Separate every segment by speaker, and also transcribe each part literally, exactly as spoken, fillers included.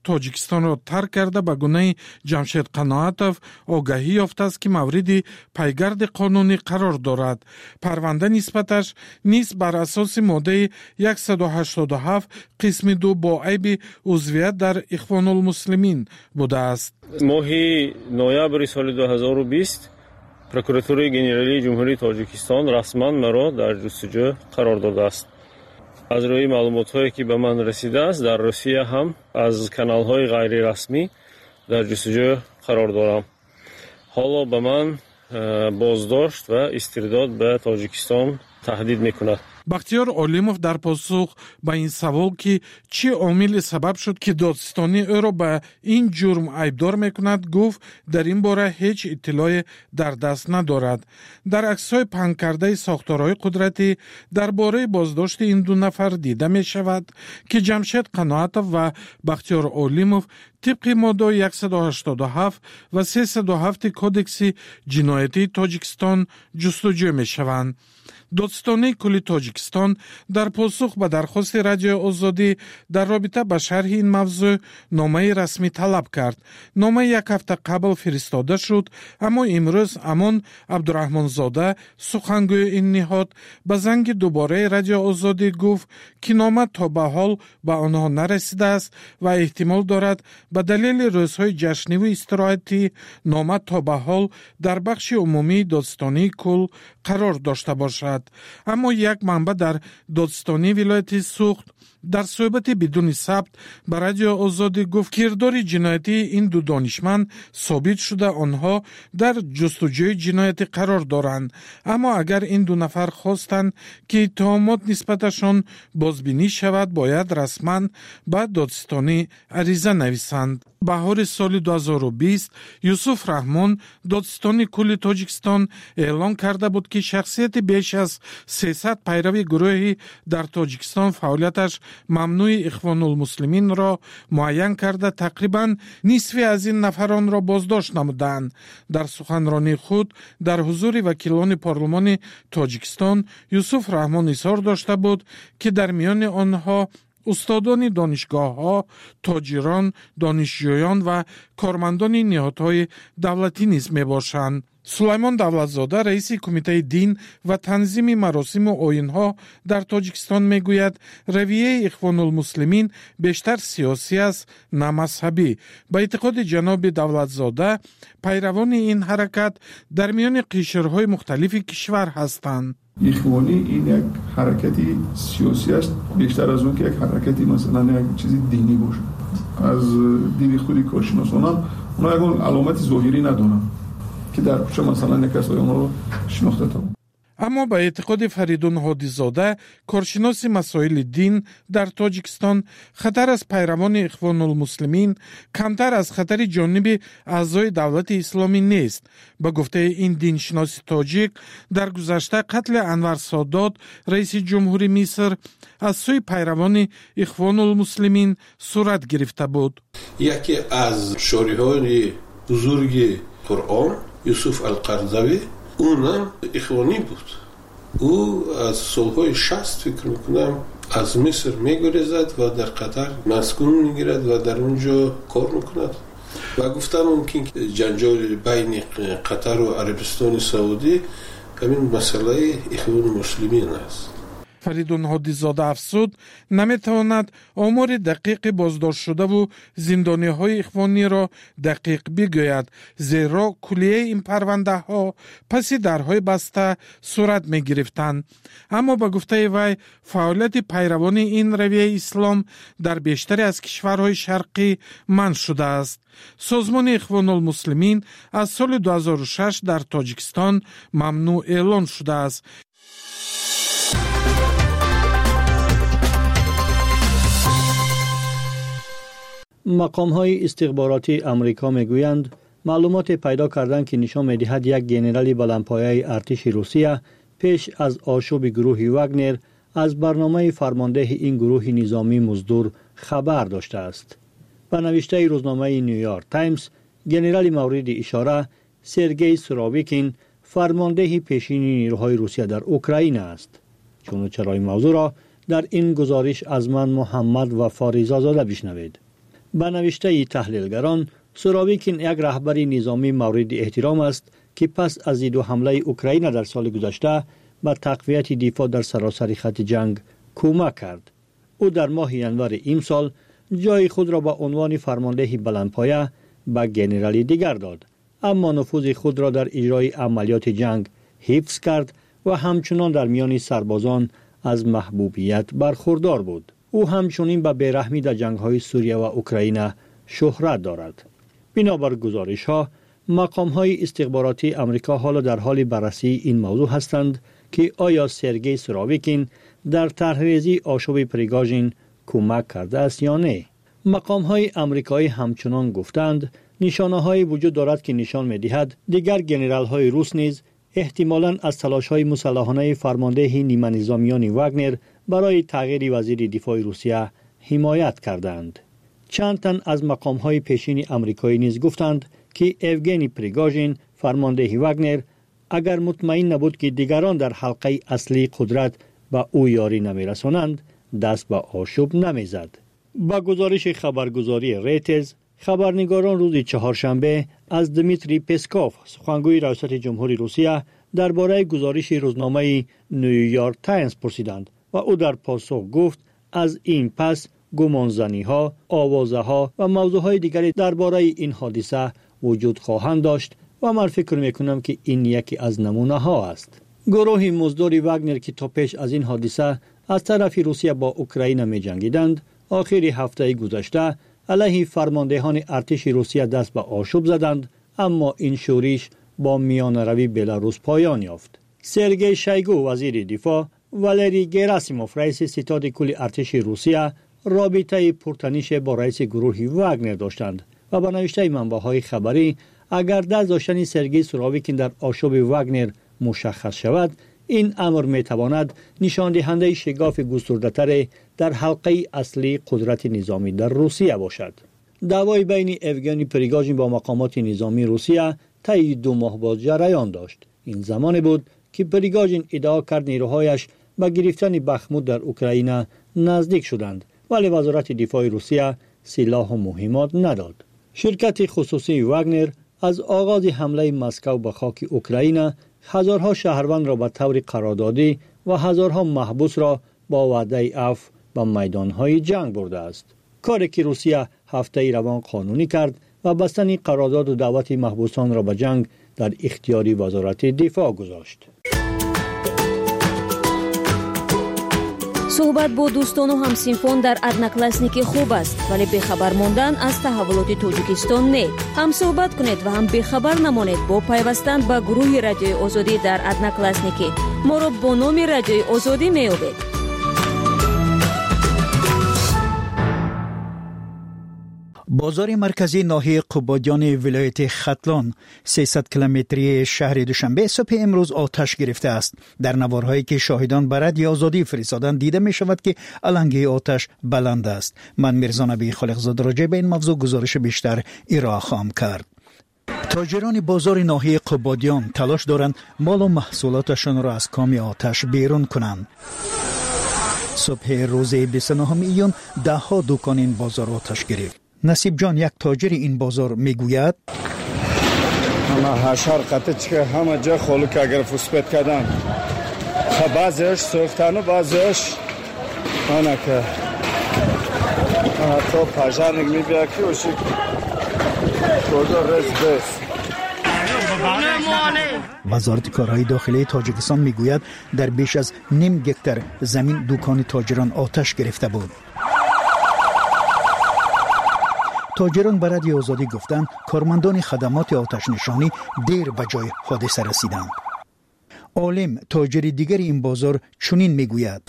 Speaker 1: Тоҷикистонро тарк карда, ба гунаи Ҷамшед Қаноатов огаҳӣ ёфтааст, ки мавриди пайгарди қонунӣ қарор дорад. Парванда нисбаташ низ бар асоси моддаи яксаду ҳаштоду ҳафт қисми ду бо айби узвият дар Ихвонулмуслимин будааст.
Speaker 2: Моҳи ноябри соли ду ҳазору бист прокуратураи генералии Ҷумҳурии Тоҷикистон расман маро дар ҷустуҷӯ қарор додааст. Аз рӯи маълумотҳое, ки ба ман расидааст, дар Русия ҳам аз каналҳои ғайрирасмӣ дар ҷустуҷӯ қарор дорам. Ҳоло ба ман э, боздошт ва истирдод ба Тоҷикистон таҳдид мекунад.
Speaker 1: Бахтиёр Олимов дар посух ба ин савол, ки чӣ омиле сабаб шуд, ки додситонӣ ӯро ба ин ҷурм айбдор мекунад, гуфт, дар ин бора ҳеҷ иттилоъе дар даст надорад. Дар аксҳои паҳнкардаи сохторҳои қудратӣ дар бораи боздошти ин ду нафар дида мешавад, ки Ҷамшед Қаноатов ва Бахтиёр Олимов тибқи моддаҳои яксаду ҳаштоду ҳафт ва сесаду ҳафти Кодекси ҷиноятии Тоҷикистон ҷустуҷӯ мешаванд. Додситонии кулли Тоҷикистон дар посух ба дархости Радиои Озодӣ дар робита ба шарҳи ин мавзӯъ номаи расмӣ талаб кард. Нома як ҳафта қабл фиристода шуд, аммо имрӯз Амон Абдураҳмонзода, сухангӯи ин ниҳод, ба занги дубораи Радиои Озодӣ гуфт, ки нома то ба ҳол ба онҳо нарасидааст ва эҳтимол дорад ба далели рӯзҳои ҷашниву истироҳатӣ нома то ба ҳол дар бахши умумии додситонии кул қарор дошта бошад. Аммо як манбаъ дар додситонии вилояти Суғд дар суҳбати бидуни сабт ба Радиои Озодӣ гуфт, кирдори ҷиноятии ин ду донишманд собит шуда, онҳо дар ҷустуҷӯи ҷиноятӣ қарор доранд. Аммо агар ин ду нафар хостанд, ки иттиҳомот нисбаташон бозбинӣ шавад, бояд расман ба додситонӣ ариза нависанд. Баҳори соли ду ҳазору бист Юсуф Раҳмон, додситони кулли Тоҷикистон, эълон карда буд, ки шахсияти беш аз сесад пайрави гурӯҳи дар Тоҷикистон фаъолияташ мамнӯи Ихвонулмуслиминро муайян карда, тақрибан нисфи аз ин нафаронро боздошт намуданд. Дар суханронии худ дар ҳузури вакилони парлумони Тоҷикистон Юсуф Раҳмон изҳор дошта буд, ки дар миёни онҳо устодони донишгоҳҳо, тоҷирон, донишҷӯён ва кормандони ниҳодҳои давлатӣ низ мебошанд. Сулаймон Давлатзода, раиси Кумитаи дин ва танзими маросиму оинҳо дар Тоҷикистон, мегӯяд, равияи Ихвонулмуслимин бештар сиёсӣ аст, на мазҳабӣ. Ба эътиқоди ҷаноби Давлатзода, пайравони ин ҳаракат дар миёни қишрҳои мухталифи кишвар ҳастанд.
Speaker 3: Ихвонӣ ин як ҳаракати сиёсӣ аст, бештар аз он ки як ҳаракати масалан як чизи динӣ бошад. Аз диди худи коршиносонам, онҳо ягон аломати зоҳирӣ надоранд, ки дар кӯча масалан як кас онҳоро шинохта тавонад.
Speaker 1: Аммо ба эътиқоди Фаридун Ҳодизода, коршиноси масоили дин дар Тоҷикистон, хатар аз пайравони Ихвонулмуслимин камтар аз хатари ҷониби аъзои Давлати Исломӣ нест. Ба гуфтаи ин диншиноси тоҷик, дар гузашта қатли Анвар Содот, раиси ҷумҳури Миср, аз сӯи пайравони Ихвонулмуслимин сурат гирифта буд.
Speaker 4: Яке аз шориҳои бузурги Қуръон, Юсуф Алқарзавӣ, унам ихвонӣ буд. Ӯ аз солҳои шаст, фикр мекунам, аз Миср мегурезад ва дар Қатар маскун мегирад ва дар он ҷо кор мекунад. Ва гуфтан мумкин, ки ҷанҷоли байни Қатару Арабистони Саудӣ ҳамин масъалаи Ихвони Муслимин аст.
Speaker 1: Фаридун Ҳодизода афзуд, наметавонад омори дақиқи боздоштшудаву зиндониҳои ихвониро дақиқ бигӯяд, зеро куллияи ин парвандаҳо паси дарҳои баста сурат мегирифтанд. Аммо ба гуфтаи вай, фаъолияти пайравони ин равияи ислом дар бештаре аз кишварҳои шарқӣ манъ шудааст. Созмони Ихвонулмуслимин аз соли ду ҳазору шаш дар Тоҷикистон мамнӯъ эълон шудааст.
Speaker 5: Мақомҳои истихборотии Амрико мегӯянд, маълумоте пайдо карданд, ки нишон медиҳад як генерали баландпояи артиши Русия пеш аз ошӯби гурӯҳи Вагнер аз барномаи фармондеҳи ин гурӯҳи низомӣ муздур хабар доштааст. Ба навиштаи рӯзномаи Нью-Йорк Таймс, генерали мавриди ишора Сергей Суровикин, фармондеҳи пешини нерӯҳои Русия дар Украина аст. Чуну чарои мавзӯъро дар ин гузориш аз ман Муҳаммад Вафо Ризозода бишнавед. Ба навиштаи таҳлилгарон, Суровикин як раҳбари низомӣ мавриди эҳтиром аст ки пас аз зидду ҳамлаи Украина дар соли гузашта ба тақвияти дифоъ дар саросари хати ҷанг кӯмак кард. Ӯ дар моҳи январи имсол ҷои худро ба унвони фармондеҳи баландпоя ба генерали дигар дод, аммо нуфузи худро дар иҷрои амалиёти ҷанг ҳифз кард ва ҳамчунон дар миёни сарбозон аз маҳбубият бархурдор буд. Ӯ ҳамчунин ба бераҳмӣ дар ҷангҳои Сурия ва Украина шӯҳрат дорад. Бинобар гузоришҳо, мақомҳои истихборотии Амрико ҳоло дар ҳоли баррасии ин мавзӯъ ҳастанд ки оё Сергей Суровикин дар тарҳрезии ошӯби Пригожин кӯмак кардааст ё не. Мақомҳои амрикоӣ ҳамчунон гуфтанд, нишонаҳое вуҷуд дорад ки нишон медиҳад дигар генералҳои рус низ эҳтимолан аз талошҳои мусаллаҳонаи фармондеҳи ниманизомиёни Вагнер барои тағйири вазири дифои Русия ҳимоят карданд. Чанд тан аз мақомҳои пешини амрикоӣ низ гуфтанд ки Евгений Пригожин, фармондеҳи Вагнер, агар мутмаин набуд ки дигарон дар ҳалқаи аслии қудрат ба ӯ ёрӣ намерасонанд, даст ба ошӯб намезад. Ба гузориши хабаргузории Рейтерз, хабарнигорон рӯзи чаҳоршанбе аз Дмитрий Песков, сухангӯи раёсати ҷумҳури Русия, дар бораи гузориши рӯзномаи Нью-Йорк Таймс пурсиданд ва ӯ дар посух гуфт аз ин пас гумонзаниҳо, овозаҳо ва мавзӯъҳои дигаре дар бораи ин ҳодиса вуҷуд хоҳанд дошт ва ман фикр мекунам ки ин яке аз намунаҳо аст. Гурӯҳи муздори Вагнер ки то пеш аз ин ҳодиса аз тарафи Русия бо Украина меҷангиданд, охири ҳафтаи гузашта алайҳи фармондеҳони артиши Русия даст ба ошӯб заданд, аммо ин шӯриш бо миёнаравии Беларус поён ёфт. Сергей Шойгу, вазири дифоъ, Валерий Герасимов, раиси ситоди кулли артиши Русия, робитаи пуртанише бо раиси гурӯҳи Вагнер доштанд ва ба навиштаи манбаъҳои хабарӣ, агар даст доштани Сергей Суровикин дар ошӯби Вагнер мушаххас шавад, ин амр метавонад нишондиҳандаи шигофи густурдатаре дар ҳалқаи аслии қудрати низомӣ дар Русия бошад. Даъвои байни Евгений Пригожин бо мақомоти низомии Русия таи ду моҳ боз ҷараён дошт. Ин замоне буд ки Пригожин иддао кард нерӯҳояш ба гирифтани Бахмут дар Украина наздик шуданд, вале вазорати дифои Русия силоҳу муҳимот надод. Ширкати хусусии Вагнер аз оғози ҳамлаи Москав ба хоки Украина ҳазорҳо шаҳрвандро ба таври қарордодӣ ва ҳазорҳо маҳбусро бо ваъдаи афв ба майдонҳои ҷанг бурдааст. Коре ки Русия ҳафтаи равон қонунӣ кард ва бастани қарордоду даъвати маҳбусонро ба ҷанг дар ихтиёри вазорати дифоъ гузошт.
Speaker 6: Суҳбат бо дӯстону ҳамсинфон дар Одноклассники хуб аст, вале бехабар мондан аз таҳаввулоти Тоҷикистон не. Ҳам суҳбат кунед ва ҳам бехабар намонед бо пайвастан ба гурӯҳи Радиои Озодӣ дар Одноклассники. Моро бо номи Радиои Озодӣ меёбед.
Speaker 7: Бозори марказии ноҳияи Қубодиёни вилояти Хатлон сесад километрии шаҳри Душанбе субҳи имрӯз оташ гирифтааст. Дар наворҳое ки шоҳидон ба Радиои Озодӣ фиристоданд, дида мешавад ки алангаи оташ баланд аст. Ман Мирзонаби Холиқзода роҷеъ ба ин мавзӯъ гузориши бештар ироа хоҳам кард. Тоҷирони бозори ноҳияи Қубодиён талош доранд молу маҳсулоташонро аз коми оташ берун кунанд. Субҳи рӯзи бисту нӯҳуми июн даҳҳо дукон ин бозор оташ гирифт. Насибҷон, як тоҷири ин бозор, мегӯяд:
Speaker 8: ҳама ҳашар қатъ чика, ҳама ҷо холука гирифт успет кардан. Баъзеаш сӯхтану баъзеаш анака. То пожарник мебияд ки оши кожо рез бес.
Speaker 7: Вазорати корҳои дохилии Тоҷикистон мегӯяд дар беш аз ним гектар замин дукони тоҷирон оташ гирифта буд. Тоҷирон ба Радиои Озодӣ гуфтанд, кормандони хадамоти оташнишонӣ дер ба ҷои ҳодиса расиданд. Олим, тоҷири дигари ин бозор, чунин мегӯяд: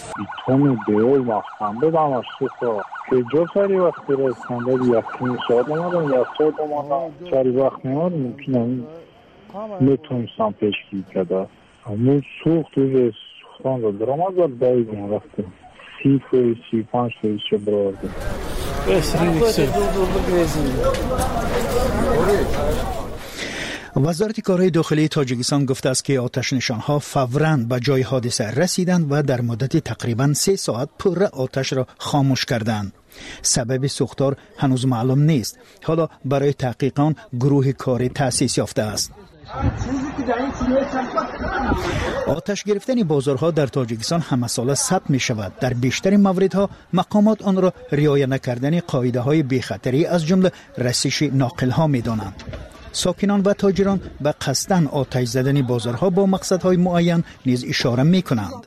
Speaker 7: Вазорати корҳои дохилии Тоҷикистон гуфтааст ки оташнишонҳо фавран ба ҷои ҳодиса расиданд ва дар муддати тақрибан се соат пурра оташро хомӯш карданд. Сабаби сӯхтор ҳанӯз маълум нест. Ҳоло барои таҳқиқ он гурӯҳи корӣ таъсис ёфтааст. Оташ гирифтани бозорҳо дар Тоҷикистон ҳамасола сабт мешавад. Дар бештари мавридҳо мақомот онро риоя накардани қоидаҳои бехатарӣ аз ҷумла расиши ноқилҳо медонанд. Сокинон ва тоҷирон ба қасдан оташ задани бозорҳо бо мақсадҳои муайян низ ишора мекунанд.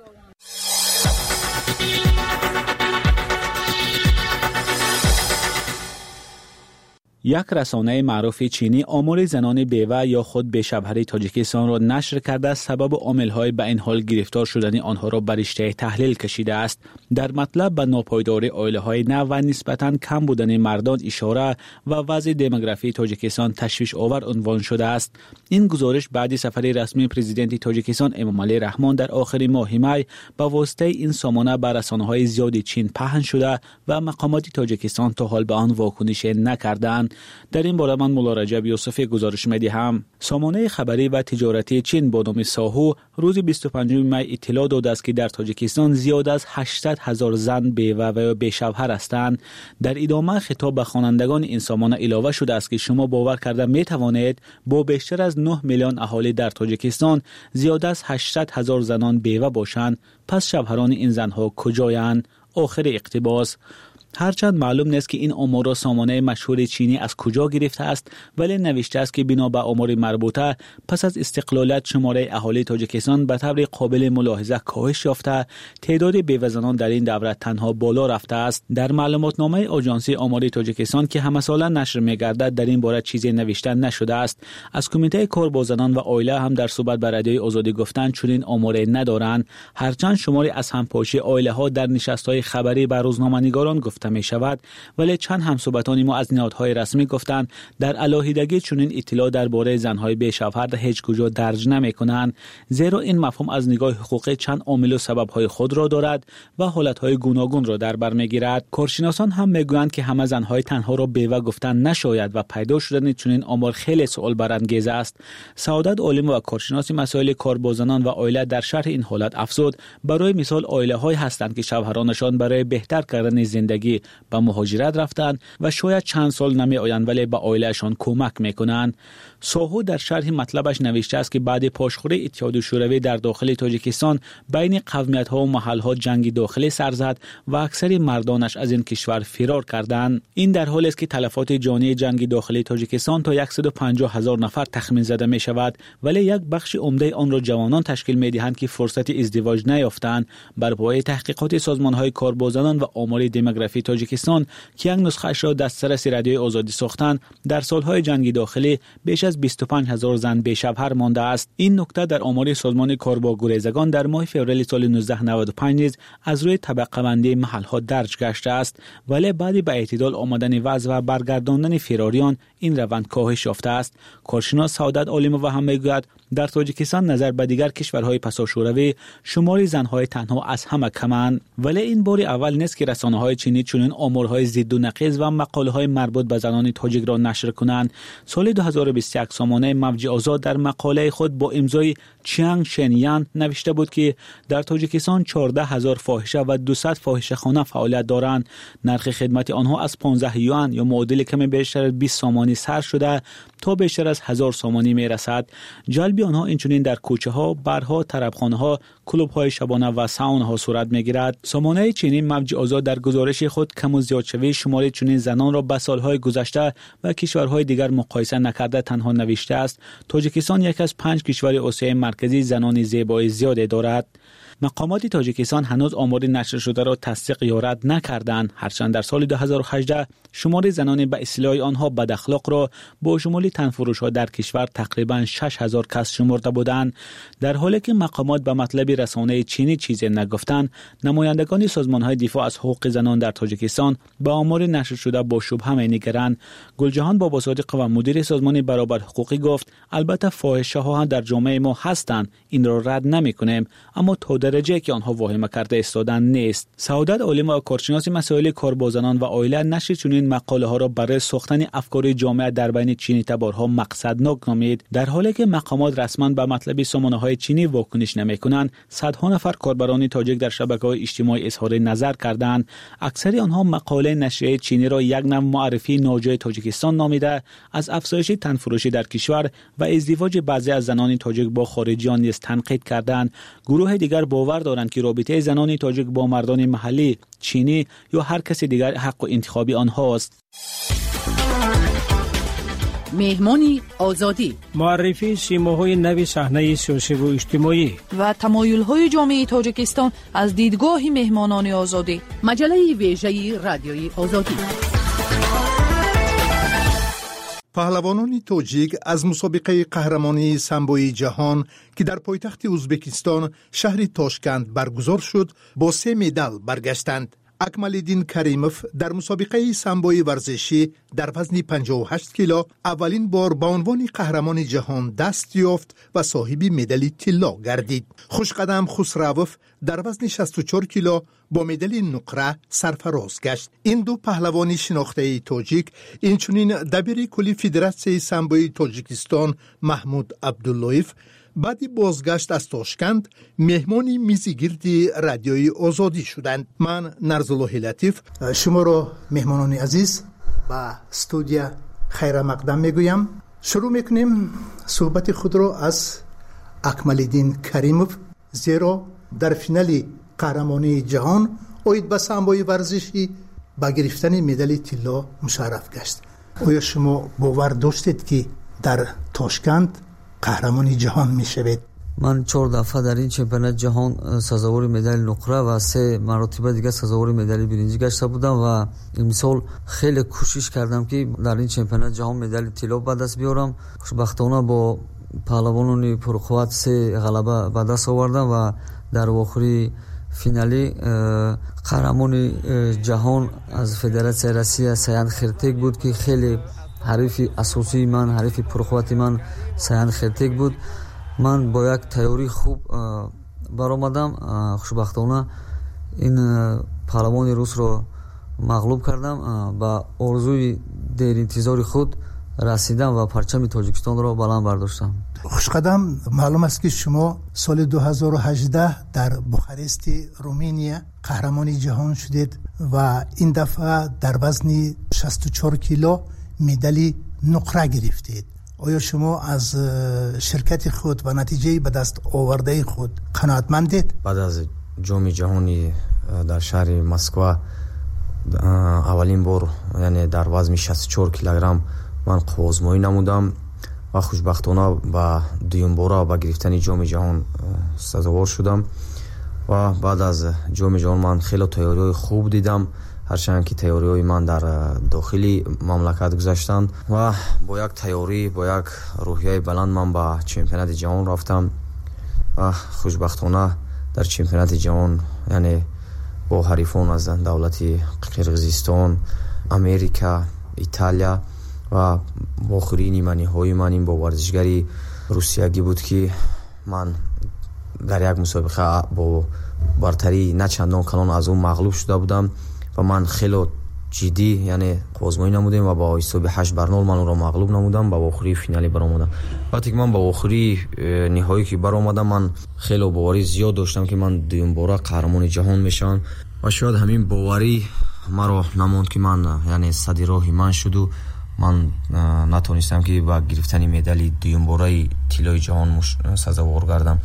Speaker 9: Як расонаи маъруфи чинӣ омори занони бева ё худ бешавҳари Тоҷикистонро нашр карда, сабабу омилҳои ба ин ҳол гирифтор шудани онҳоро ба риштаи таҳлил кашидааст. Дар матлаб ба нопойдории оилаҳои нав ва нисбатан кам будани мардон ишора ва вазъи демографии Тоҷикистон ташвишовар унвон шудааст. Ин гузориш баъди сафари расмии президенти Тоҷикистон Эмомалӣ Раҳмон дар охири моҳи май ба воситаи ин сомона ба расонаҳои зиёди Чин паҳн шуда ва мақомоти Тоҷикистон то ҳол ба он вокунише накардаанд. Дар ин бора ман Мулло Раҷаб Юсуфӣ гузориш медиҳам. Сомонаи хабарӣ ва тиҷоратии Чин бо номи Соҳу рӯзи бисту панҷуми май иттилоъ додааст, ки дар Тоҷикистон зиёд аз ҳаштсад ҳазор зан бева ва ё бешавҳар ҳастанд. Дар идома хитоб ба хонандагони ин сомона илова шудааст, ки шумо бовар карда метавонед бо бештар аз нӯҳ миллион аҳолӣ дар Тоҷикистон зиёд аз ҳаштсад ҳазор занон бева бошанд. Пас шавҳарони ин занҳо куҷоянд? Охири иқтибос. Ҳарчанд маълум нест, ки ин оморро сомонаи машҳури чинӣ аз куҷо гирифтааст, вале навиштааст, ки бино ба омори марбута пас аз истиқлолият шумораи аҳолии Тоҷикистон ба таври қобили мулоҳиза коҳиш ёфта, теъдоди бевазанон дар ин давра танҳо боло рафтааст. Дар маълумотномаи Оҷонсии омори Тоҷикистон, ки ҳамасола нашр мегардад, дар ин бора чизе навишта нашудааст. Аз Кумитаи кор бо занон ва оила ҳам дар суҳбат ба Радиои Озодӣ гуфтанд, чунин оморе надоранд. Ҳарчанд шумори аз ҳампошии оилаҳо дар нишастҳои хабарӣ ба рӯзноманигорон гуфта мешавад, вале чанд ҳамсӯҳбатони мо аз ниҳодҳои расмӣ гуфтанд, дар алоҳидагӣ чунин иттилоъ дар бораи занҳои бешавҳар ҳеҷ куҷо дарҷ намекунанд, зеро ин мафҳум аз нигоҳи ҳуқуқӣ чанд омилу сабабҳои худро дорад ва ҳолатҳои гуногунро дар бар мегирад. Коршиносон ҳам мегӯянд, ки ҳама занҳои танҳоро бева гуфтан нашояд ва пайдо шудани чунин омор хеле суолбарангез аст. Саодат Олимова, коршиноси масоили кор бо занон ва оила, дар шарҳи ин ҳолат афзуд: барои мисол оилаҳое ҳастанд, ки шавҳаронашон барои беҳтар кардани зиндагӣ ба муҳоҷират рафтанд ва шояд чанд сол намеоянд, вале ба оилаашон кӯмак мекунанд. Соҳу дар шарҳи матлабаш навиштааст, ки баъди пошхӯрии Иттиҳоди Шӯравӣ дар дохили Тоҷикистон байни қавмиятҳо ва маҳалҳо ҷанги дохилӣ сар зад ва аксари мардонаш аз ин кишвар фирор карданд. Ин дар ҳолест, ки талафоти ҷонии ҷанги дохилии Тоҷикистон то яксаду панҷоҳ ҳазор нафар тахмин зада мешавад, вале як бахши умдаи онро ҷавонон ташкил медиҳанд, ки фурсати издивоҷ наёфтанд. Бар пояи таҳқиқоти созмонҳои кор бо занон ва омори демографии Тоҷикистон, ки як нусхаашро дастраси Радиои Озодӣ сохтанд, дар солҳои ҷанги дохилӣ беш аз бисту панҷ ҳазор зан бешавҳар мондааст. Ин нукта дар омори созмони кор бо гурезагон дар моҳи феврали соли нуздаҳ наваду панҷ низ аз рӯи табақабандии маҳалҳо дарҷ гаштааст, вале баъди ба эътидол омадани вазъ ва баргардондани фирориён ин раванд коҳиш ёфтааст. Коршинос Саодат Олимова ҳам мегӯяд, дар Тоҷикистон назар ба дигар кишварҳои пасошӯравӣ шумори занҳои танҳо аз ҳама каманд. Вале ин бори аввал нест, ки расонаҳои чинӣ чунин оморҳои зидду нақиз ва мақолаҳои марбут ба занони тоҷикро нашр кунанд. Соли ду ҳазору бисту як сомонаи Мавҷи Озод дар мақолаи худ бо имзои Чианг Шенян навишта буд, ки дар Тоҷикистон чордаҳ ҳазор фоҳиша ва дусад фоҳишахона фаъолият доранд. Нархи хидмати онҳо аз понздаҳ юан ё муодили каме бештар аз бист сомонӣ сар шуда то бештар аз ҳазор сомонӣ мерасад. Ҷалби онҳо инчунин дар кӯчаҳо, барҳо, тарабхонаҳо, клубҳои шабона ва саунаҳо сурат мегирад. Сомонаи чинӣ Мавҷи Озод дар гузориши худ каму зиёдшавии шумори чунин занонро ба солҳои гузашта ва кишварҳои дигар муқоиса накарда танҳо навиштааст: Тоҷикистон яке аз панҷ кишвари Осиёи Марказӣ занони зебои зиёде дорад. Мақомоти Тоҷикистон ҳанӯз омори нашршударо тасдиқ ё рад накарданд. Ҳарчанд дар соли ду ҳазору ҳаждаҳ шумори занони ба истилоҳи онҳо бадахлоқро бо шумули танфурӯшҳо дар кишвар тақрибан шаш ҳазор кас шумурда буданд. Дар ҳоле ки мақомот ба матлаби расонаи чинӣ чизе нагуфтанд, намояндагони созмонҳои дифоъ аз ҳуқуқи занон дар Тоҷикистон ба омори нашршуда бо шубҳа менигаранд. Гулҷаҳон Бобосодиқова, мудири созмони баробарҳуқуқӣ, гуфт: албатта фоҳишаҳо ҳам дар ҷомеаи мо ҳастанд, инро рад намекунем, аммо то дараҷае ки онҳо воҳима карда истоданд нест. Саодат Олимова, коршиноси масоили кор бо занон ва оила, нашри чунин мақолаҳоро барои сохтани афкори ҷомеа дар байни чинитаборҳо мақсаднок номид. Дар ҳоле ки мақомот расман ба матлаби сомонаҳои чинӣ вокуниш намекунанд, садҳо нафар корбарони тоҷик дар шабакаҳои иҷтимоӣ изҳори назар карданд. Аксари онҳо мақолаи нашрияи чиниро як навъ муаррифии ноҷои Тоҷикистон номида, аз афзоиши танфурӯшӣ дар кишвар ва издивоҷи баъзе аз занони тоҷик бо хориҷиён низ танқид карданд. Гурӯҳи дигар бовар доранд, ки робитаи занони тоҷик бо мардони маҳаллӣ, чинӣ ё ҳар каси дигар ҳаққу интихоби онҳост.
Speaker 10: Меҳмони Озодӣ.
Speaker 11: Муаррифии симоҳои нави саҳнаи сиёсиву иҷтимоӣ
Speaker 10: ва тамоюлҳои ҷомеаи Тоҷикистон аз дидгоҳи меҳмонони Озодӣ. Маҷаллаи вежаи Радиои Озодӣ.
Speaker 12: Паҳлавонони тоҷик аз мусобиқаи қаҳрамонии самбои ҷаҳон, ки дар пойтахти Ӯзбекистон, шаҳри Тошканд баргузор шуд, бо се медал баргаштанд. Акмалиддин Каримов дар мусобиқаи самбои варзишӣ дар вазни панҷоҳу ҳашт кило аввалин бор ба унвони қаҳрамони ҷаҳон даст ёфт ва соҳиби медали тилло гардид. Хушқадам Хусравов дар вазни шасту чор кило бо медали нуқра сарфароз гашт. Ин ду паҳлавони шинохтаи тоҷик, инчунин дабири кулли Федератсияи самбои Тоҷикистон Маҳмуд Абдуллоев, баъди бозгашт аз Тошканд меҳмони мизи гирди Радиои Озодӣ шуданд. Ман Нарзуллоҳи Латиф шуморо, меҳмонони азиз, ба студия хайрамақдам мегӯям. Шурӯъ мекунем суҳбати худро аз Акмалиддин Каримов, зеро дар финали қаҳрамонии ҷаҳон оид ба самбои варзишӣ ба гирифтани медали тилло мушарраф гашт. Оё шумо бовар доштед, ки дар Тошканд қаҳрамони ҷаҳон мешавед?
Speaker 13: Ман чор дафъа дар ин чемпионати ҷаҳон сазовори медали нуқра ва се маротиба дигар сазовори медали биринҷӣ гашта будам ва имсол хеле кӯшиш кардам, ки дар ин чемпионати ҷаҳон медали тилло ба даст биёрам. Хушбахтона бо паҳлавонони пурқувват се ғалаба ба даст овардам ва дар вохӯрии финалӣ қаҳрамони ҷаҳон аз Федератсияи Россия Саян Хертек буд, ки хеле ҳарифи асосии ман, ҳарифи пурқуввати ман Саян Хертек буд. Ман бо як тайёрии хуб баромадам. Хушбахтона ин паҳлавони русро мағлуб кардам, ба орзуи деринтизори худ расидам ва парчами Тоҷикистонро баланд бардоштам.
Speaker 12: Хушқадам, маълум аст, ки шумо соли ду ҳазору ҳаждаҳ дар Бухарести Руминия қаҳрамони ҷаҳон шудед ва ин дафъа дар вазни шасту чор кило медали нуқра гирифтед. Оё шумо аз ширкати худ ва натиҷаи ба даст овардаи худ қаноатмандед?
Speaker 14: Баъд аз ҷоми ҷаҳонӣ дар шаҳри Москва аввалин бор, яъне дар вазни шасту чор килограмм ман қувваозмоӣ намудам ва хушбахтона ба дуюмбора ба гирифтани ҷоми ҷаҳон сазовор шудам. Ва баъд аз ҷоми ҷаҳон ман хеле тайёриҳои хуб дидам, ҳарчанд ки тайёриҳои ман дар дохили мамлакат гузаштанд ва бо як тайёрӣ, бо як рӯҳияи баланд ман ба чемпионати ҷаҳон рафтам ва хушбахтона дар чемпионати ҷаҳон, яъне бо ҳарифон аз давлати Қирғизистон, Америка, Италия ва вохӯрии ниманиҳои ман ин бо варзишгари русиягӣ буд, ки ман дар як мусобиқа бо бартарии на чандон калон аз ӯ мағлуб шуда будам ва ман хеле ҷиддӣ, яъне қувваозмоӣ намудем ва бо ҳисоби ҳашт бар нол ман ӯро мағлуб намудам, ба вохӯрии финалӣ баромадам. Вақте ки ман ба вохӯрии ниҳоӣ ки баромадам, ман хеле боварӣ зиёд доштам, ки ман дуюмбора қаҳрамони ҷаҳон мешавам ва шояд ҳамин боварӣ маро намонд, ки ман, яъне сади роҳи ман шуду ман натонистам, ки ба гирифтани медали дуюмбораи тиллои ҷаҳон сазовор гардам.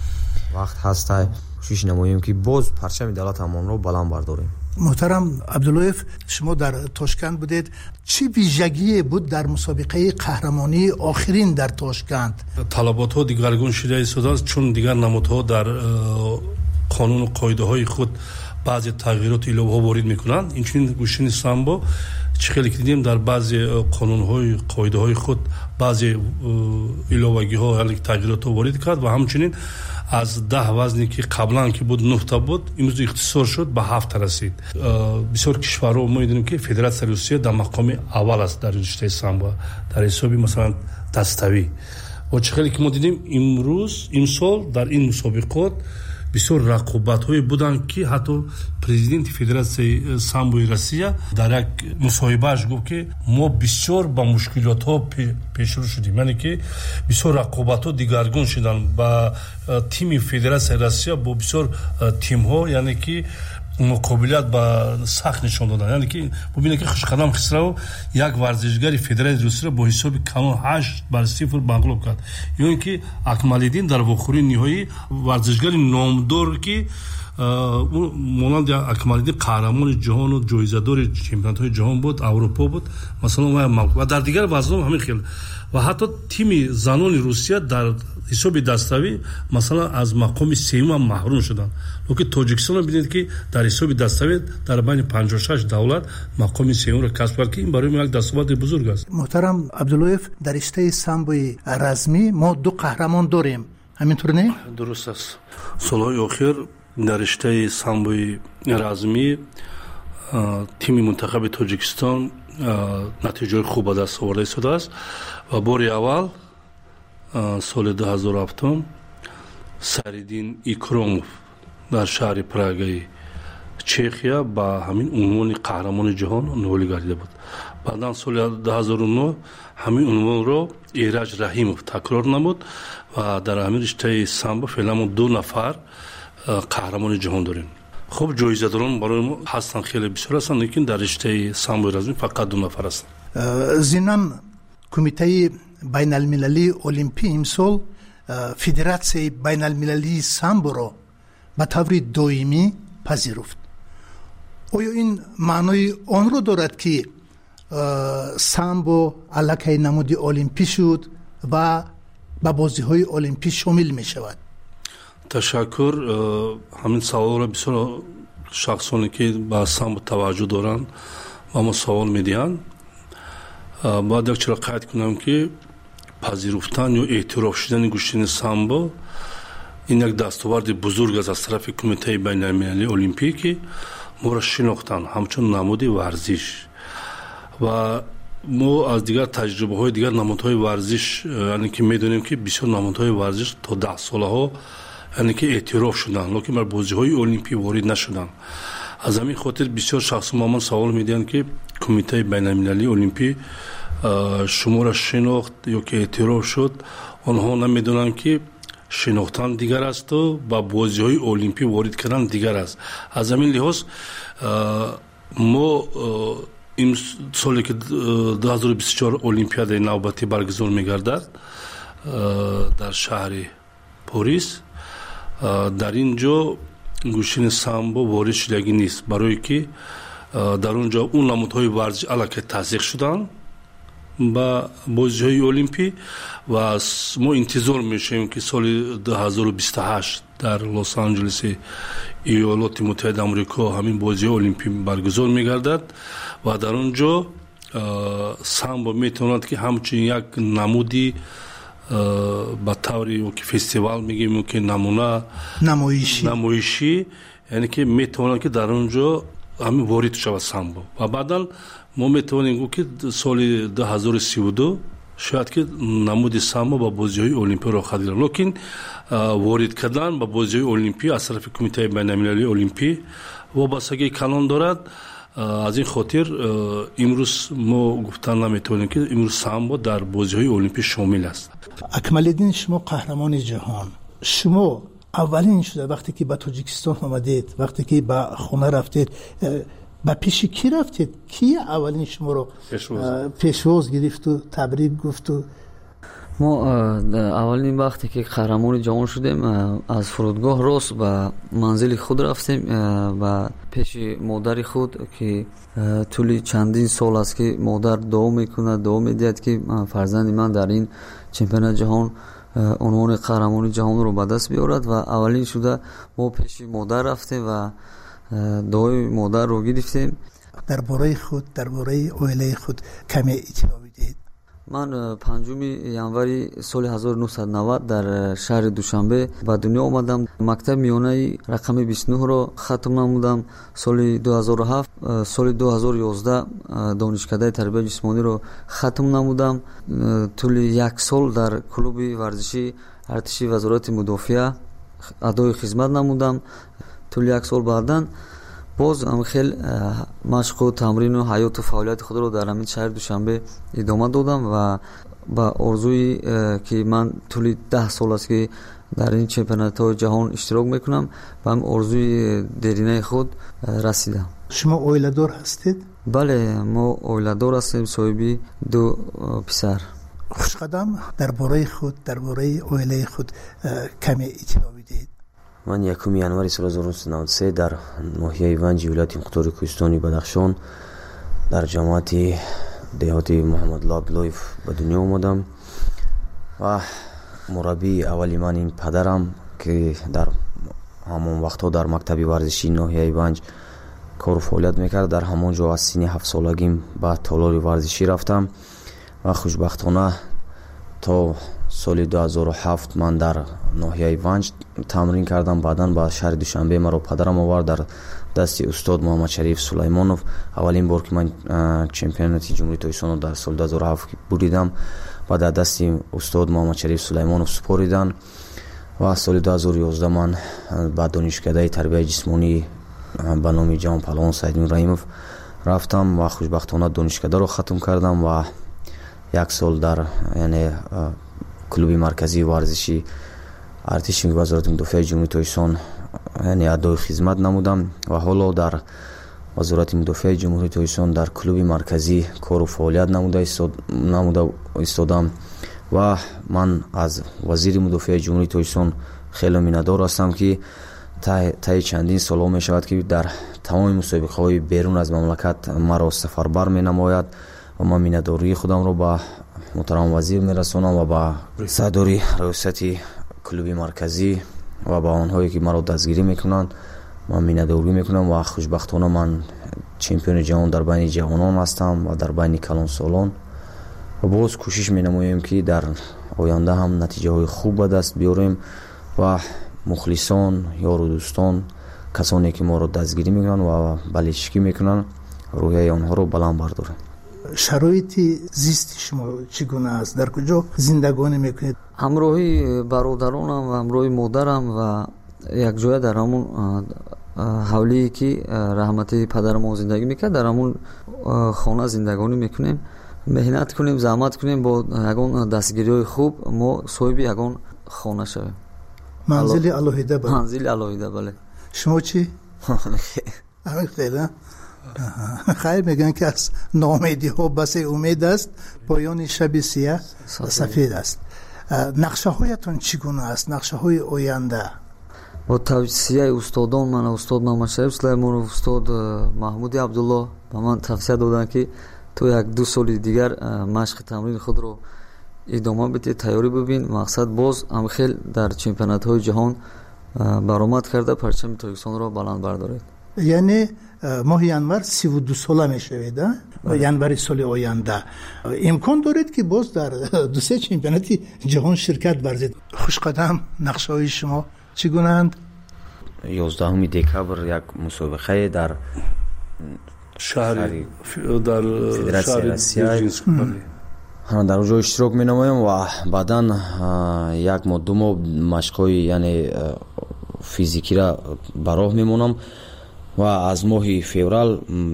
Speaker 14: Вақт ҳаста, кӯшиш намоем, ки боз парчами давлатамонро баланд бардорем.
Speaker 12: Муҳтарам Абдуллоев, шумо дар Тошканд будед. Чӣ вижагие буд дар мусобиқаи қаҳрамонии охирин дар Тошканд?
Speaker 15: Талаботҳо дигаргун шуда истодааст, чун дигар намудҳо дар қонуну қоидаҳои худ баъзе тағйироту иловаҳо ворид мекунанд. Инчунин гӯштини самбо чӣ хеле ки дидем, дар баъзе қонунҳои қоидаҳои худ баъзе иловагиҳо, яъне тағйиротҳо ворид кард ва ҳамчунин аз даҳ вазне ки қаблан ки буд нӯҳта буд, имрӯз ихтисор шуд, ба ҳафта расид. Бисёр кишварҳо мо медонем, ки Федератсияи Русия дар мақоми аввал аст дар риштаи самбо, дар ҳисоби масалан даставӣ. Ва чӣ хеле ки мо дидем, имрӯз имсол дар ин мусобиқот Бисёр рақобатҳое буданд, ки ҳатто президенти Федератсияи самбои Россия дар як мусоҳибааш гуфт, ки мо бисёр ба мушкилотҳо пешрӯ шудем, яъне ки бисёр рақобатҳо дигаргун шуданд ба тими Федератсияи Россия бо бисёр тимҳо, яъне ки муқобилият ба сахт нишон доданд. Яъне ки бубинед, ки Хушқадам Хисравов як варзишгари Федератсияи Русияро бо ҳисоби калон ҳашт бар сифр мағлуб кард. Ё ин ки Акмалиддин дар вохӯрии ниҳоӣ варзишгари номдор, ки монанди Акмалиддин қаҳрамони ҷаҳону ҷоизадори чемпионатҳои ҷаҳон буд, Аврупо буд, масалан, ва дар дигар вазнҳо ҳамин хел. Ва ҳатто тими занони Русия дар ҳисоби даставӣ масалан аз мақоми сеюм ҳам маҳрум шуданд. Лекин Тоҷикистонро бинед, ки дар ҳисоби даставӣ дар байни панҷоҳу шаш давлат мақоми сеюмро касб кард, ки ин барои мо як дастоварди бузург аст.
Speaker 12: Муҳтарам Абдуллоев, дар риштаи самбои размӣ мо ду қаҳрамон дорем, ҳамин тур не?
Speaker 15: Дуруст аст. Солҳои охир дар риштаи самбои размӣ тими мунтахаби Тоҷикистон натиҷаҳои хуб ба даст оварда истодааст ва бори аввал соли ду ҳазору ҳафтум Сариддин Икромов дар шаҳри Прагаи Чехия ба ҳамин унвони қаҳрамони ҷаҳон ноил гардида буд. Баъдан соли ду ҳазору нӯҳ ҳамин унвонро Эраҷ Раҳимов такрор намуд ва дар ҳамин риштаи самбо феълан мо ду нафар қаҳрамони ҷаҳон дорем. Хуб, ҷоизадорон барои мо ҳастанд, хеле бисёр ҳастанд, лекин дар риштаи самбои размӣ фақат ду нафар ҳастанд.
Speaker 12: Зимнан Кумитаи байналмилалии олимпӣ имсол Федератсияи байналмилалии самборо ба таври доимӣ пазируфт. Оё ин маънои онро дорад, ки самбо аллакай намуди олимпӣ шуд ва ба бозиҳои олимпӣ шомил мешавад?
Speaker 15: Ташаккур. Ҳамин саволро бисёр шахсоне, ки ба самбо таваҷҷӯҳ доранд, ба мо савол медиҳанд. Бояд як чиро қайд кунам, ки пазируфтан ё эътироф шудани гӯштини самбо ин як дастоварди бузург аст аз тарафи Кумитаи байналмилалии олимпӣ, ки моро шинохтанд ҳамчун намуди варзиш. Ва мо аз дигар таҷрибаҳои дигар намудҳои варзиш, яъне ки медонем, ки бисёр намудҳои варзиш то даҳсолаҳо яъне ки эътироф шуданд, лекин бар бозиҳои олимпӣ ворид нашуданд. Аз ҳамин хотир бисёр шахсҳо ба ман савол медиҳанд, ки Кумитаи байналмилалии олимпӣ шуморо шинохт ё ки эътироф шуд. Онҳо намедонанд, ки шинохтан дигар асту ба бозиҳои олимпӣ ворид кардан дигар аст. Аз ҳамин лиҳоз мо ин соле, ки ду ҳазору бисту чор олимпиадаи навбатӣ баргузор мегардад дар шаҳри Порис, дар ин ҷо гӯштини самбо ворид шудагӣ нест, барое ки дар он ҷо он намудҳои варзиш аллакай тасдиқ шуданд ба бозиҳои олимпӣ ва мо интизор мешавем, ки соли ду ҳазору бисту ҳашт дар Лос-Анҷелеси Иёлоти Муттаҳидаи Амрико ҳамин бозиҳои олимпӣ баргузор мегардад ва дар он ҷо самбо метавонад, ки ҳамчун як намуди ба таври ё ки фестивал мегӯем, ё ки намуна намоишӣ, яъне ки метавонад, ки дар он ҷо ҳамин ворид шавад самбо. Ва баъдан мо метавонем гуфт, ки соли ду ҳазору сиву ду шояд ки намуди самбо ба бозиҳои олимпӣ роҳ гирад. Лекин ворид кардан ба бозиҳои олимпӣ аз тарафи Кумитаи байналмилалии олимпӣ вобастагии калон дорад. Аз ин хотир имрӯз мо гуфтан наметавонем, ки имрӯз самбо дар бозиҳои олимпӣ шомил аст.
Speaker 12: Акмалиддин, шумо қаҳрамони ҷаҳон, шумо аввалин шуда вақте ки ба Тоҷикистон омадед, вақте ки ба хона рафтед, ба пеши кӣ рафтед? Ки аввалин шуморо пешвоз гирифту табрик гуфту?
Speaker 13: Мо аввалин вақте ки қаҳрамони ҷаҳон шудем, аз фурудгоҳ рост ба манзили худ рафтем, ба пеши модари худ, ки тӯли чандин сол аст, ки модар дуо мекунад, дуо медиҳад, ки фарзанди ман дар ин чемпионати ҷаҳон унвони қаҳрамони ҷаҳонро ба даст биёрад. Ва аввалин шуда мо пеши модар рафтем ва дуои модарро гирифтем.
Speaker 12: Дар бораи худ, дар бораи оилаи худ каме иттилоъ бидиҳед.
Speaker 13: Ман панҷуми январи соли ҳазору нӯҳсаду навад дар шаҳри Душанбе ба дунё омадам. Мактаби миёнаи рақами бисту нӯҳро хатм намудам соли ду ҳазору ҳафт. Соли ду ҳазору ёздаҳ донишкадаи тарбияи ҷисмониро хатм намудам. Тӯли як сол дар клуби варзишии артиши Вазорати мудофиа адои хизмат намудам. Тӯли як сол баъдан боз хел машқу тамрину ҳаёту фаъолияти худро дар ҳамин шаҳри Душанбе идома додам ва ба орзуи ки ман тӯли даҳ сол аст ки дар ин чемпионатҳои ҷаҳон иштирок мекунам, ба ҳам орзуи деринаи худ расидам.
Speaker 12: Шумо оиладор ҳастед?
Speaker 13: Бале, мо оиладор ҳастем, соҳиби ду писар.
Speaker 12: Хушқадам, дар бораи худ, дар бораи оилаи худ каме иттилоъ бидиҳед.
Speaker 14: Ман якуми январи соли ҳазору нӯҳсаду наваду се дар ноҳияи Ванҷи вилояти Мухтори Кӯҳистони Бадахшон дар ҷамоати деҳоти Муҳаммадулло Абдуллоев ба дунё омадам ва мураббии аввали ман ин падарам, ки дар ҳамон вақтҳо дар мактаби варзишии ноҳияи Ванҷ кору фаъолият мекард. Дар ҳамон ҷо аз синни ҳафтсолагим ба толори варзишӣ рафтам ва хушбахтона то соли ду ҳазору ҳафт ман дар ноҳияи Ванҷ тамрин кардам. Баъдан ба шаҳри Душанбе маро падарам овард дар дасти устод Муҳаммадшариф Сулаймонов. Аввалин бор ки ман чемпионати Ҷумҳурии Тоҷикистонро дар соли ду ҳазору ҳафт буридам ва дар дасти устод Муҳаммадшариф Сулаймонов супориданд ва соли ду ҳазору ёздаҳ ман ба донишкадаи тарбияи ҷисмонӣ ба номи ҷавонпаҳлавон Саидмин Раҳимов рафтам ва хушбахтона донишкадаро хатм кардам ва як сол дар яъне клуби марказии варзиши артиши вазорати мудофиаи Ҷумҳурии Тоҷикистон яъне адои хизмат намудам ва ҳоло дар вазорати мудофиаи Ҷумҳурии Тоҷикистон дар клуби марказӣ кору фаъолият намуда истодам ва ман аз вазири мудофиаи Ҷумҳурии Тоҷикистон хеле миннатдор ҳастам, ки таи чандин солҳо мешавад, ки дар тамоми мусобиқаҳои берун аз мамлакат маро сафарбар менамояд ва ман миннатдории худамро ба муҳтарам вазир мерасонам ва ба сардори раёсати клуби марказӣ ва ба онҳое ки маро дастгирӣ мекунанд ман миннатдорӣ мекунам ва хушбахтона ман чемпиони ҷаҳон дар байни ҷавонон ҳастам ва дар байни калонсолон ва боз кӯшиш менамоем, ки дар оянда ҳам натиҷаҳои хуб ба даст биёрем ва мухлисон, ёру дӯстон, касоне ки моро дастгирӣ мекунанд ва балечикӣ мекунанд, рӯҳияи онҳоро баланд бардорем.
Speaker 12: Шароити зисти шумо чӣ гуна аст? Дар куҷо зиндагонӣ мекунед?
Speaker 13: Ҳамроҳи бародаронам ва ҳамроҳи модарам ва якҷоя дар ҳамон ҳавлие ки раҳмати падарамон зиндагӣ мекард, дар ҳамон хона зиндагонӣ мекунем. Меҳнат кунем, заҳмат кунем, бо ягон дастгириҳои хуб мо соҳиби ягон хона шавем.
Speaker 12: Манзили алоҳида?
Speaker 13: Манзили алоҳида, бале.
Speaker 12: Шумо чӣ? Ҳамин хел. Хайр, мегӯянд ки аз ноумедиҳо басе умед аст, поёни шаби сиёҳ сафед аст. Нақшаҳоятон чӣ гуна аст? Нақшаҳои оянда?
Speaker 13: Бо тавсияи устодон, ман устод Муҳаммадшариф Сулаймонов, устод Маҳмуди Абдуллоҳ ба ман тавсия доданд, ки ту як ду соли дигар машқи тамрини худро идома бидеҳ, тайёрӣ бибин. Мақсад боз ҳам хел дар чемпионатҳои ҷаҳон баромад карда парчами Тоҷикистонро баланд бардоред.
Speaker 12: Яъне моҳи январ сиву ду сола мешавед, январи соли оянда. Имкон доред, ки боз дар ду се чемпионати ҷаҳон ширкат варзед. Хушқадам, нақшаҳои шумо чӣ гунаанд?
Speaker 14: ёздаҳуми декабр як мусобиқае дар
Speaker 15: шаҳри дар
Speaker 14: Федератсияи Россия дар он ҷо иштирок менамоям ва баъдан як моҳ ду моҳ машқҳои яъне физикиро ба роҳ мемонам ва аз моҳи феврал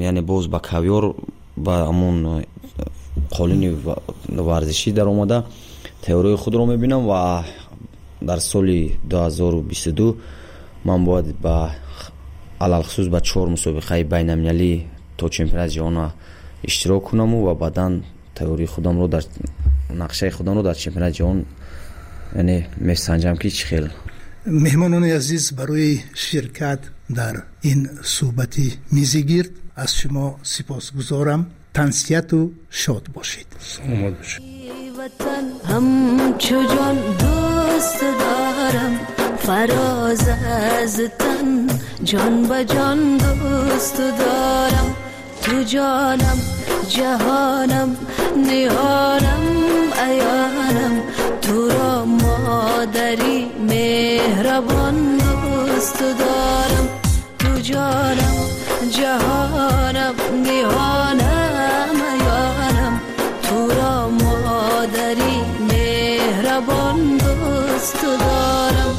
Speaker 14: яъне боз ба Кавёр ба ҳамон қолини варзишӣ даромада тайёриҳои худро мебинам ва дар соли ду ҳазору бисту ду ман бояд ба алалхусус ба чор мусобиқаи байналмилалӣ то чемпионати ҷаҳон иштирок кунаму ва баъдан тайёрии худамро дар нақшаи худамро дар чемпионати ҷаҳон яъне месанҷам, ки чӣ хел.
Speaker 12: Меҳмонони азиз, барои ширкат дар ин суҳбати мизигирд аз шумо сипосгузорам. Тансиҳату шод бошед.
Speaker 15: Саломат бошед.
Speaker 16: Ватан ҳамчу ҷон дӯст дорам, фароз аз тан ҷон ба ҷон дӯст дорам. Ту ҷонам, ҷаҳонам, ниҳонам, аёнам, туро модари меҳрабон дӯст дорам. Ту ҷонам, ҷаҳонам, ниҳонам, аёнам, туро модари меҳрабон дӯст дорам.